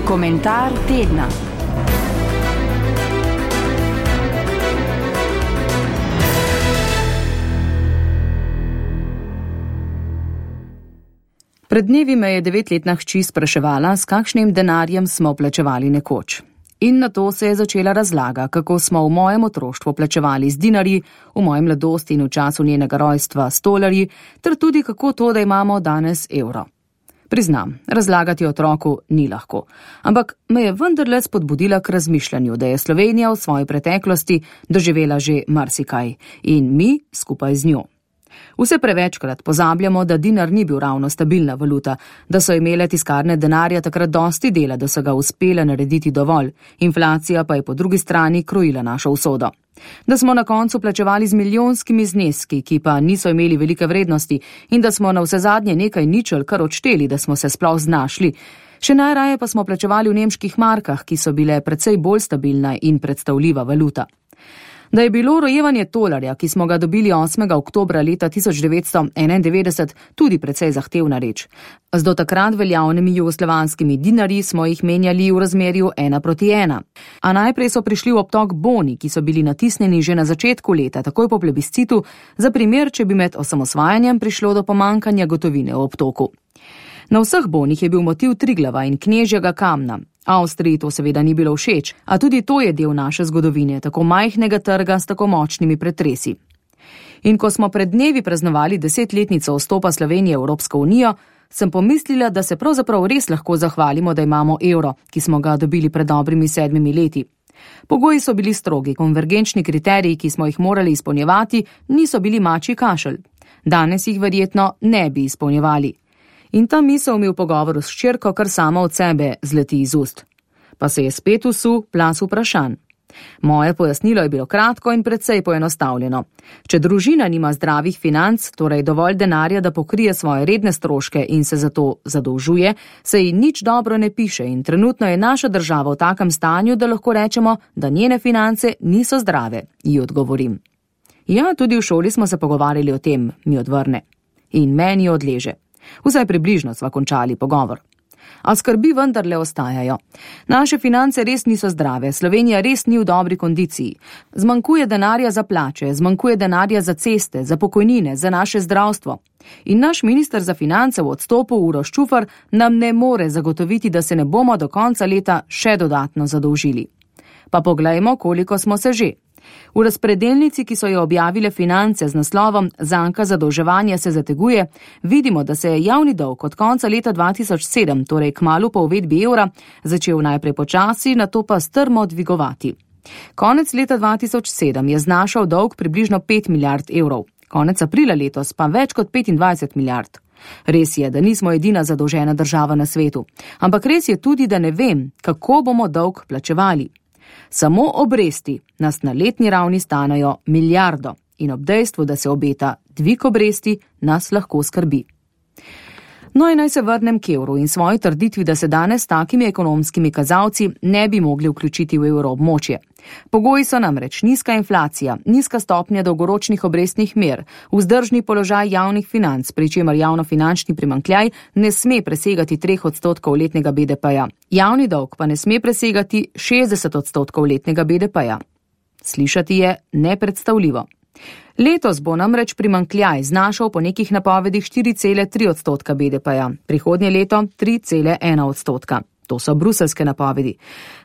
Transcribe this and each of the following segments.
Komentar tedna. Pred dnevi me je 9-letna hči spraševala, s kakšnim denarjem smo plačevali nekoč. In na to se je začela razlaga, kako smo v mojem otroštvu plačevali z dinarji, v moji mladosti in v času njenega rojstva s tolarji, ter tudi kako to, da imamo danes evro. Priznam, razlagati otroku ni lahko, ampak me je vendarle spodbudila k razmišljanju, da je Slovenija v svoji preteklosti doživela že marsikaj in mi skupaj z njo. Vse prevečkrat pozabljamo, da dinar ni bil ravno stabilna valuta, da so imele tiskarne denarja takrat dosti dela, da so ga uspele narediti dovolj, inflacija pa je po drugi strani krojila našo usodo. Da smo na koncu plačevali z milijonskimi zneski, ki pa niso imeli velike vrednosti in da smo na vsezadnje nekaj ničel kar odšteli, da smo se sploh znašli. Še najraje pa smo plačevali v nemških markah, ki so bile precej bolj stabilna in predstavljiva valuta. Da je bilo rojevanje tolarja, ki smo ga dobili 8. oktobra leta 1991, tudi precej zahtevna reč. Z do takrat veljavnimi jugoslovanskimi dinarji smo jih menjali v razmerju 1:1. A najprej so prišli v obtok boni, ki so bili natisnjeni že na začetku leta, takoj po plebiscitu, za primer, če bi med osamosvajanjem prišlo do pomankanja gotovine v obtoku. Na vseh bonih je bil motiv Triglava in knežjega kamna. Avstriji to seveda ni bilo všeč, a tudi to je del naše zgodovine, tako majhnega trga s tako močnimi pretresi. In ko smo pred dnevi praznovali 10-letnico vstopa Slovenije v Evropsko unijo, sem pomislila, da se pravzaprav res lahko zahvalimo, da imamo evro, ki smo ga dobili pred dobrimi 7 leti. Pogoji so bili strogi, konvergenčni kriteriji, ki smo jih morali izpolnjevati, niso bili mačji kašelj. Danes jih verjetno ne bi izpolnjevali. In ta misel mi v pogovoru s hčerko kar sama od sebe zleti iz ust. Pa se je spet usul plaz vprašanj. Moje pojasnilo je bilo kratko in precej poenostavljeno. Če družina nima zdravih financ, torej dovolj denarja, da pokrije svoje redne stroške in se zato zadolžuje, se ji nič dobro ne piše in trenutno je naša država v takem stanju, da lahko rečemo, da njene finance niso zdrave, ji odgovorim. Ja, tudi v šoli smo se pogovarjali o tem, mi odvrne. In meni odleže. Vsaj približno sva končali pogovor. A skrbi vendarle ostajajo. Naše finance res niso zdrave, Slovenija res ni v dobri kondiciji. Zmanjkuje denarja za plače, zmanjkuje denarja za ceste, za pokojnine, za naše zdravstvo. In naš minister za finance v odstopu Uroš Čufar nam ne more zagotoviti, da se ne bomo do konca leta še dodatno zadolžili. Pa poglejmo, koliko smo se že. V razpredelnici, ki so jo objavile Finance z naslovom Zanka zadolževanja se zateguje, vidimo, da se je javni dolg od konca leta 2007, torej kmalu po uvedbi evra, začel najprej počasi, nato pa strmo dvigovati. Konec leta 2007 je znašal dolg približno 5 milijard evrov, konec aprila letos pa več kot 25 milijard. Res je, da nismo edina zadolžena država na svetu, ampak res je tudi, da ne vem, kako bomo dolg plačevali. Samo obresti nas na letni ravni stanejo milijardo in ob dejstvu, da se obeta dvig obresti, nas lahko skrbi. No in naj se vrnem k evru in svoji trditvi, da se danes s takimi ekonomskimi kazalci ne bi mogli vključiti v evroobmočje. Pogoji so namreč nizka inflacija, nizka stopnja dolgoročnih obrestnih mer, vzdržni položaj javnih financ, pri čemer javnofinančni primanjkljaj ne sme presegati 3% letnega BDP-ja. Javni dolg pa ne sme presegati 60% letnega BDP-ja. Slišati je nepredstavljivo. Letos bo namreč primanjkljaj znašal po nekih napovedih 4,3% BDP-ja, prihodnje leto 3,1%. To so bruseljske napovedi.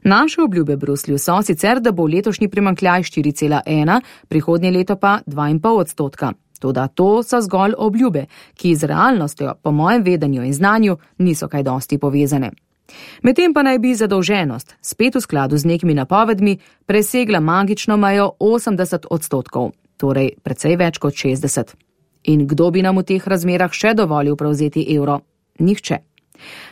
Naše obljube Bruslju so sicer, da bo letošnji primanjkljaj 4,1, prihodnje leto pa 2,5%. Toda to so zgolj obljube, ki z realnostjo, po mojem vedenju in znanju, niso kaj dosti povezane. Medtem pa naj bi zadolženost, spet v skladu z nekimi napovedmi, presegla magično mejo 80%, torej precej več kot 60. In kdo bi nam v teh razmerah še dovolil prevzeti evro? Nihče.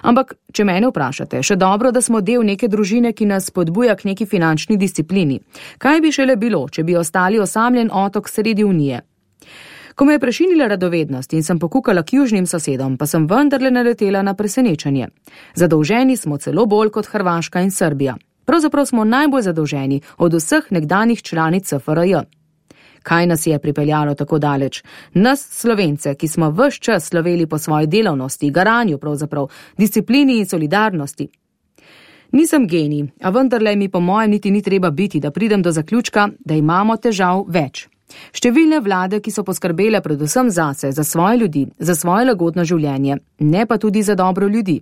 Ampak, če mene vprašate, še dobro, da smo del neke družine, ki nas spodbuja k neki finančni disciplini. Kaj bi šele bilo, če bi ostali osamljen otok sredi Unije? Ko me je prešinila radovednost in sem pokukala k južnim sosedom, pa sem vendarle naletela na presenečenje. Zadolženi smo celo bolj kot Hrvaška in Srbija. Pravzaprav smo najbolj zadolženi od vseh nekdanjih članic SFRJ. Kaj nas je pripeljalo tako daleč? Nas, Slovence, ki smo ves čas sloveli po svoji delavnosti, garanju pravzaprav, disciplini in solidarnosti. Nisem genij, a vendarle mi po mojem niti ni treba biti, da pridem do zaključka, da imamo težav več. Številne vlade, ki so poskrbele predvsem zase, za svoje ljudi, za svoje lagodno življenje, ne pa tudi za dobro ljudi.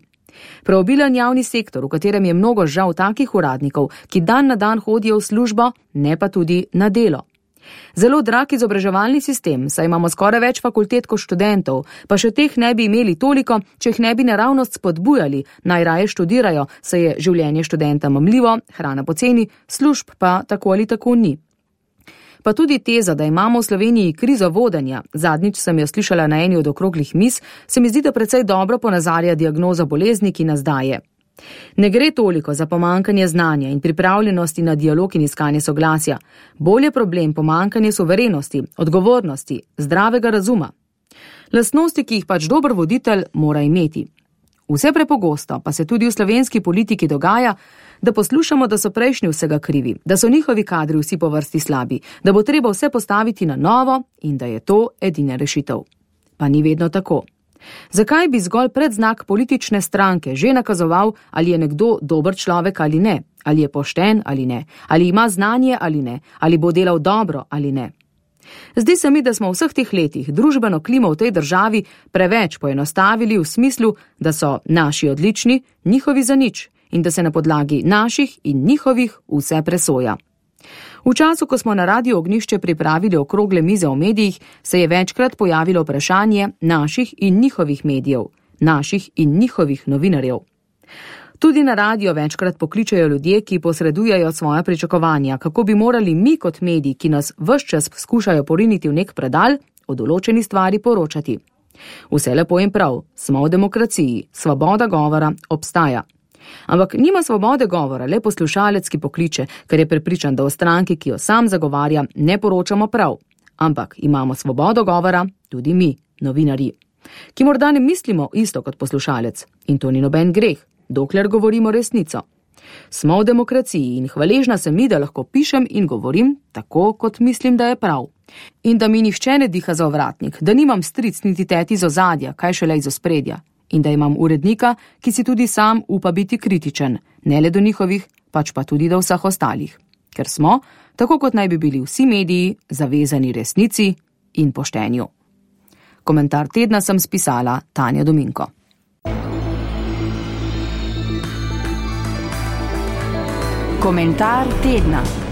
Preobilen javni sektor, v katerem je mnogo žal takih uradnikov, ki dan na dan hodijo v službo, ne pa tudi na delo. Zelo drag izobraževalni sistem, saj imamo skoraj več fakultet kot študentov, pa še teh ne bi imeli toliko, če jih ne bi naravnost spodbujali, najraje študirajo, saj je življenje študenta mamljivo, hrana poceni, služb pa tako ali tako ni. Pa tudi teza, da imamo v Sloveniji krizo vodenja, zadnjič sem jo slišala na eni od okroglih miz, se mi zdi, da precej dobro ponazarja diagnozo bolezni, ki nas daje. Ne gre toliko za pomankanje znanja in pripravljenosti na dialog in iskanje soglasja. Bolj je problem pomankanje suverenosti, odgovornosti, zdravega razuma. Lastnosti, ki jih pač dober voditelj mora imeti. Vse prepogosto pa se tudi v slovenski politiki dogaja, da poslušamo, da so prejšnji vsega krivi, da so njihovi kadri vsi po vrsti slabi, da bo treba vse postaviti na novo in da je to edina rešitev. Pa ni vedno tako. Zakaj bi zgolj predznak politične stranke že nakazoval, ali je nekdo dober človek ali ne, ali je pošten ali ne, ali ima znanje ali ne, ali bo delal dobro ali ne? Zdi se mi, da smo v vseh teh letih družbeno klimo v tej državi preveč poenostavili v smislu, da so naši odlični, njihovi za nič in da se na podlagi naših in njihovih vse presoja. V času, ko smo na Radiu Ognjišče pripravili okrogle mize o medijih, se je večkrat pojavilo vprašanje naših in njihovih medijev, naših in njihovih novinarjev. Tudi na radio večkrat pokličajo ljudje, ki posredujejo svoja pričakovanja, kako bi morali mi kot mediji, ki nas ves čas skušajo poriniti v nek predal, o določeni stvari poročati. Vse lepo in prav, smo v demokraciji, svoboda govora obstaja. Ampak nima svobode govora le poslušalec, ki pokliče, ker je prepričan, da o stranki, ki jo sam zagovarja, ne poročamo prav. Ampak imamo svobodo govora tudi mi, novinarji, ki morda ne mislimo isto kot poslušalec. In to ni noben greh, dokler govorimo resnico. Smo v demokraciji in hvaležna sem mi, da lahko pišem in govorim tako, kot mislim, da je prav. In da mi nihče ne diha za ovratnik, da nimam stric niti teti iz ozadja, kaj šele iz ospredja. In da imam urednika, ki si tudi sam upa biti kritičen, ne le do njihovih, pač pa tudi do vseh ostalih. Ker smo, tako kot naj bi bili vsi mediji, zavezani resnici in poštenju. Komentar tedna sem spisala Tanja Dominko. Komentar tedna.